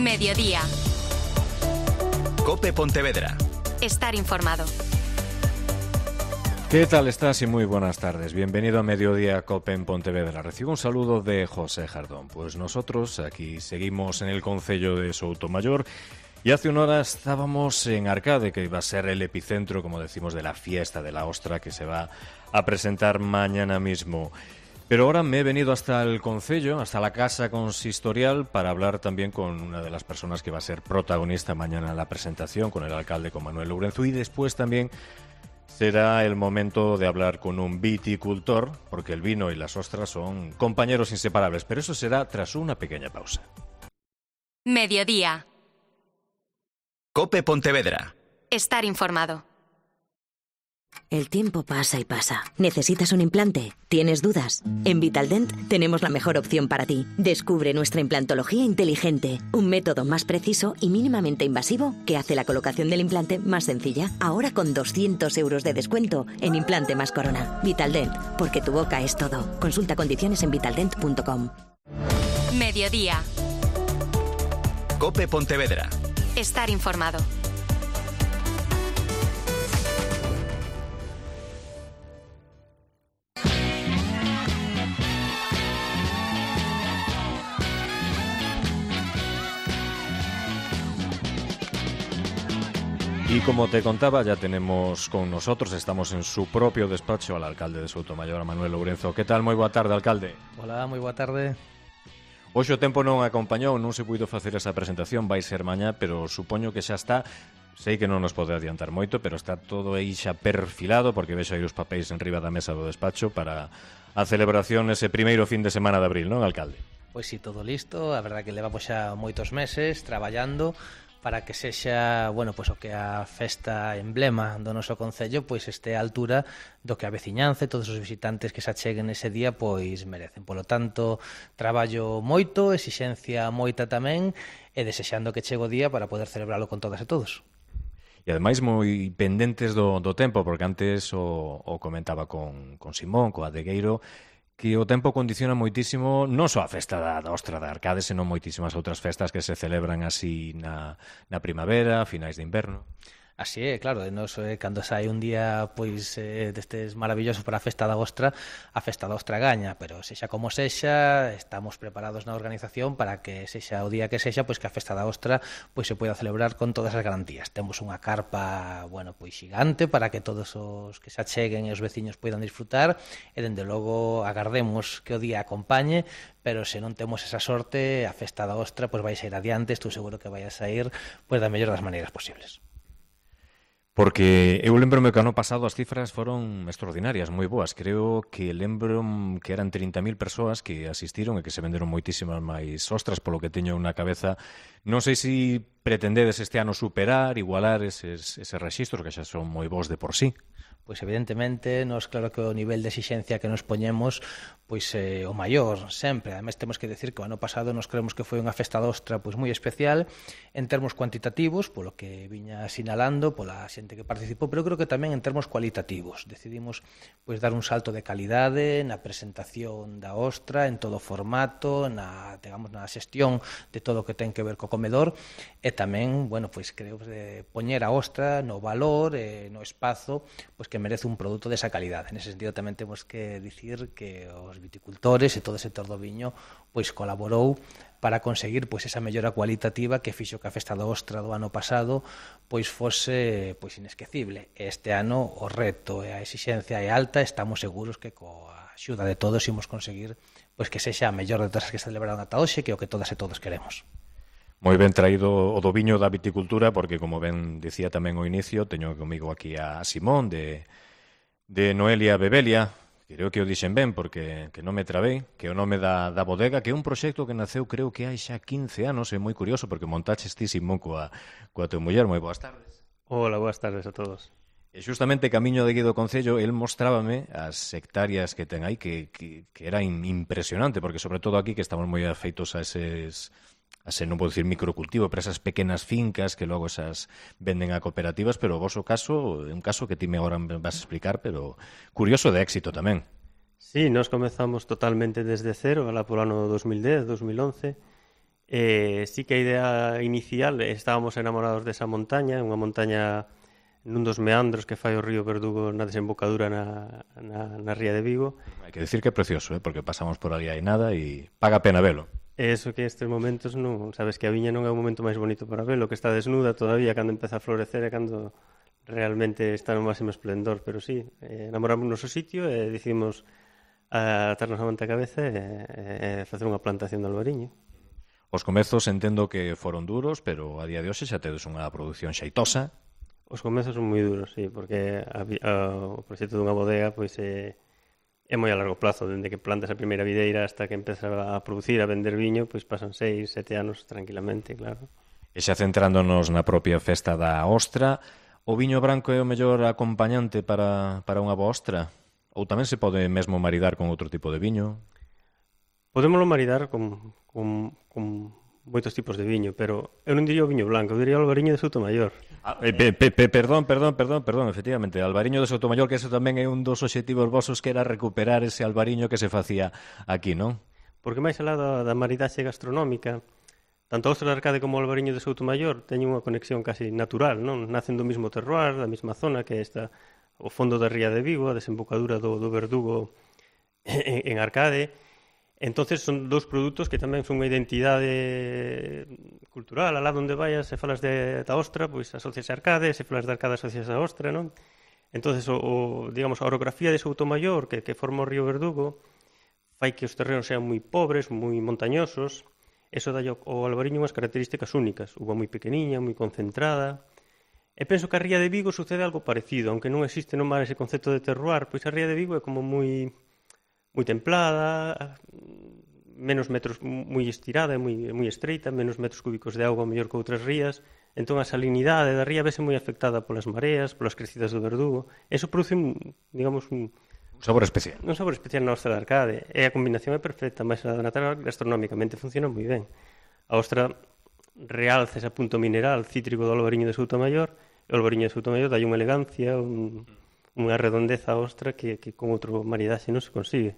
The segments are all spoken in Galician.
Mediodía. COPE Pontevedra. Estar informado. ¿Qué tal estás? Y muy buenas tardes. Bienvenido a Mediodía COPE en Pontevedra. Recibo un saludo de José Jardón. Pues nosotros aquí seguimos en el concello de Soutomaior y hace una hora estábamos en Arcade, que iba a ser el epicentro, como decimos, de la fiesta de la ostra que se va a presentar mañana mismo. Pero ahora me he venido hasta el concello, hasta la casa consistorial, para hablar también con una de las personas que va a ser protagonista mañana en la presentación, con el alcalde, con Manuel Lourenço, y después también será el momento de hablar con un viticultor, porque el vino y las ostras son compañeros inseparables, pero eso será tras una pequeña pausa. Mediodía. COPE Pontevedra. Estar informado. El tiempo pasa y pasa. ¿Necesitas un implante? ¿Tienes dudas? En Vitaldent tenemos la mejor opción para ti. Descubre nuestra implantología inteligente, un método más preciso y mínimamente invasivo que hace la colocación del implante más sencilla. Ahora con 200 euros de descuento en implante más corona. Vitaldent, porque tu boca es todo. Consulta condiciones en vitaldent.com. Mediodía. COPE Pontevedra. Estar informado. Y como te contaba, ya tenemos con nosotros, estamos en su propio despacho, al alcalde de Soutomaior, a Manuel Lourenço. Que tal? Moi boa tarde, alcalde. Hola, moi boa tarde. Hoxe o tempo non acompañou, non se puido facer esa presentación, vai ser mañá, pero supoño que xa está. Sei que non nos pode adiantar moito, pero está todo aí xa perfilado, porque vexo aí os papéis en riba da mesa do despacho para a celebración ese primeiro fin de semana de abril, non, alcalde? Pois si, todo listo, a verdade que levamos xa moitos meses traballando para que sexa, bueno, pois o que a festa emblema do noso concello pois este á altura do que a veciñanza e todos os visitantes que se acheguen ese día pois merecen. Polo tanto, traballo moito, exixencia moita tamén e desexando que chegue o día para poder celebralo con todas e todos. E ademais moi pendentes do tempo, porque antes o comentaba con Simón, co Adegueiro, que o tempo condiciona moitísimo non só a festa da ostra da Arcade, senón moitísimas outras festas que se celebran así na primavera, finais de inverno. Así é, claro, nos, cando sai un día pois destes maravillosos para a festa da ostra gaña, pero sexa como sexa, estamos preparados na organización para que sexa o día que sexa, pois que a festa da ostra pois se poida celebrar con todas as garantías. Temos unha carpa, bueno, pois xigante para que todos os que se acheguen e os veciños poidan disfrutar e dende logo agardemos que o día acompañe, pero se non temos esa sorte, a festa da ostra pois vai sair adiante, estou seguro que vai a sair pois da mellor das maneiras posibles. Porque eu lembro-me que ano pasado as cifras foron extraordinarias, moi boas. Creo que lembro que eran 30.000 persoas que asistiron e que se venderon moitísimas máis ostras, polo que teño na cabeza. Non sei se pretendedes este ano superar, igualar eses rexistros que xa son moi bons de por sí. Pois evidentemente, nos claro que o nivel de exixencia que nos poñemos pois o maior sempre. Ademais temos que decir que o ano pasado nos creemos que foi unha festa da ostra pois moi especial en termos cuantitativos, polo que viña sinalando pola xente que participou, pero creo que tamén en termos cualitativos. Decidimos pois dar un salto de calidade na presentación da ostra, en todo o formato, na xestión de todo o que ten que ver co comedor e tamén, bueno, pois creo de poñer a ostra no valor e no espazo pois que merece un produto desa calidade. Nese sentido tamén temos que dicir que os viticultores e todo o sector do viño pois colaborou para conseguir pois esa mellora cualitativa que fixo que a festa da ostra do ano pasado pois fose pois inesquecible. Este ano o reto e a exixencia é alta, estamos seguros que coa axuda de todos imos conseguir pois que sexa a mellor de todas as que se celebraron ata hoxe, que é o que todas e todos queremos. Moi ben traído o do viño da viticultura, porque, como ben dicía tamén ao inicio, teño comigo aquí a Simón de Noelia Bebelia. Creo que o dixen ben, porque que non me trabei, que o nome da bodega, que é un proxecto que naceu creo que hai xa 15 anos, é moi curioso, porque montaches ti, Simón, coa teu muller. Moi boas tardes. Hola, boas tardes a todos. E xustamente camiño de aquí do Concello, el mostrábame as hectáreas que ten aí, que era impresionante, porque sobre todo aquí que estamos moi afeitos a eses non vou dicir microcultivo, pero esas pequenas fincas que logo esas venden a cooperativas, pero o voso caso é un caso que ti me agora vas a explicar, pero curioso de éxito tamén. Sí, nos comezamos totalmente desde cero, alá polo ano 2010, 2011, Sí que a idea inicial, estábamos enamorados desa montaña, unha montaña nun dos meandros que fai o río Verdugo na desembocadura na ría de Vigo. Hai que decir que é precioso, porque pasamos por ali hai nada e paga pena velo. Eso que estes momentos non, sabes que a viña non é o momento máis bonito para velo, que está desnuda todavía cando empeza a florecer e cando realmente está no máximo esplendor, pero sí, enamoramos no noso sitio e decidimos atarnos a manta a cabeza e facer unha plantación de albariño. Os comezos entendo que foron duros, pero a día de hoxe xa tedes unha produción xeitosa. Os comezos son moi duros, sí, porque o proxecto dunha bodega pois é moi a largo plazo, dende que plantas a primeira videira hasta que empeza a producir, a vender viño, pois pasan 6, 7 anos tranquilamente, claro. E xa centrándonos na propia festa da ostra, o viño branco é o mellor acompañante para unha boa ostra? Ou tamén se pode mesmo maridar con outro tipo de viño? Podémolo maridar con moitos tipos de viño, pero eu non diría o viño blanco, eu diría o albariño de Soutomaior. Perdón, efectivamente, albariño de Soutomaior, que eso tamén é un dos obxectivos vosos, que era recuperar ese albariño que se facía aquí, non? Porque máis alá da maridaxe gastronómica, tanto a ostra de Arcade como o albariño de Soutomaior teñen unha conexión casi natural, non? Nacen do mesmo terroir, da mesma zona que esta, o fondo da ría de Vigo, a desembocadura do Verdugo en Arcade. Entonces son dous produtos que tamén son unha identidade cultural. Alá onde vayas, se falas da ostra, pois asocias a Arcade, se falas de Arcade asocias a ostra, non? Entonces, digamos, a orografía de Soutomaior, que forma o río Verdugo, fai que os terrenos sean moi pobres, moi montañosos. Eso dá ao albariño unhas características únicas. Uva moi pequeniña, moi concentrada. E penso que a ría de Vigo sucede algo parecido, aunque non existe no mar ese concepto de terroir, pois a ría de Vigo é como moi templada, menos metros, moi estirada, moi estreita, menos metros cúbicos de auga mellor que outras rías, entón a salinidade da ría vese moi afectada polas mareas, polas crecidas do Verdugo. Eso produce, digamos, un sabor especial. Un sabor especial na ostra de Arcade, e a combinación é perfecta, máis a natural, gastronómicamente funciona moi ben. A ostra realza ese punto mineral cítrico do albariño de Soutomaior, e o albariño de Soutomaior dai unha elegancia, unha redondeza á ostra que con outro maridaxe non se consigue.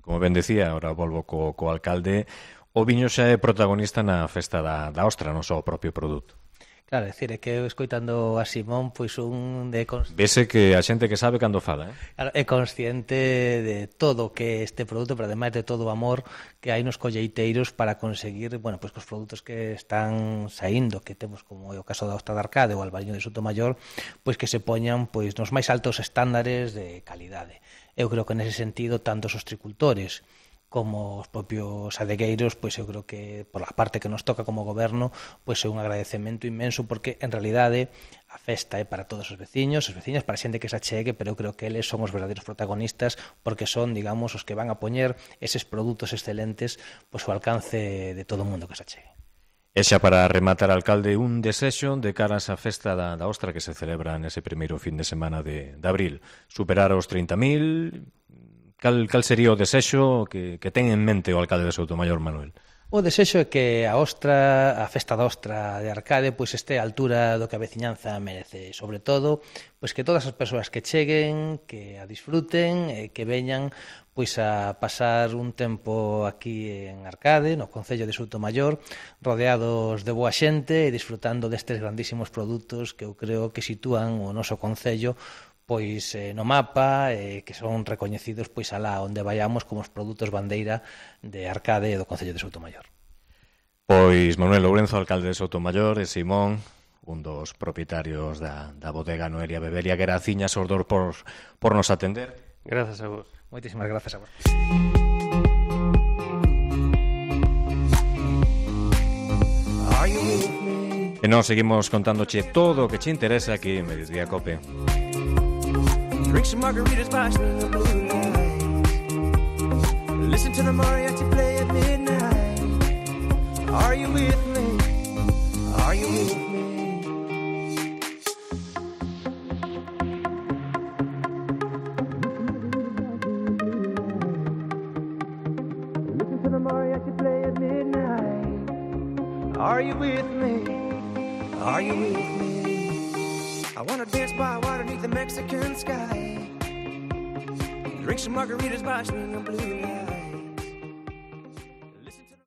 Como ben decía, ahora volvo co alcalde, o viño xa é protagonista na festa da ostra, non só o propio produto. Claro, é dicir, é que eu escoitando a Simón, pois un de... Vese que a xente que sabe cando fala, Claro, é consciente de todo que este produto, pero ademais de todo o amor que hai nos colleiteiros para conseguir, bueno, pois que os produtos que están saindo, que temos como é o caso da ostra de Arcade ou o albariño de Soutomaior, pois que se poñan pois nos máis altos estándares de calidade. Eu creo que nese sentido, tanto os hostricultores como os propios adegueiros, pois eu creo que por a parte que nos toca como goberno, pois é un agradecemento inmenso, porque en realidade a festa é para todos os veciños, para a xente que se achegue, pero eu creo que eles son os verdadeiros protagonistas, porque son, digamos, os que van a poñer eses produtos excelentes pois ao alcance de todo o mundo que se achegue. E xa para rematar, alcalde, un desexo de cara a esa festa da ostra que se celebra nese primeiro fin de semana de abril. Superar os 30.000... Cal sería o desexo que ten en mente o alcalde de Soutomaior, Manuel? O desexo é que a festa da ostra de Arcade pois este á altura do que a veciñanza merece, sobre todo pois que todas as persoas que cheguen, que a disfruten e que veñan pois a pasar un tempo aquí en Arcade, no concello de Soutomaior, rodeados de boa xente e disfrutando destes grandísimos produtos que eu creo que sitúan o noso concello pois no mapa, que son recoñecidos pois alá onde vayamos como os produtos bandeira de Arcade e do concello de Soutomaior. Pois Manuel Lourenzo, alcalde de Soutomaior, e Simón, un dos propietarios da bodega Noelia Beberia, que era Ciñas Ordor por nos atender. Grazas a vos. Moitísimas grazas a vos. E nós seguimos contándoche todo o que che interesa aquí en Mediodía Cope. Drink some margaritas by swinging blue lights. Listen to the mariachi play at midnight. Are you with me? Are you with me? Listen to the mariachi play at midnight. Are you with me? Are you with me? I wanna dance by water beneath the Mexican sky. Drink some margaritas by swinging blue lights.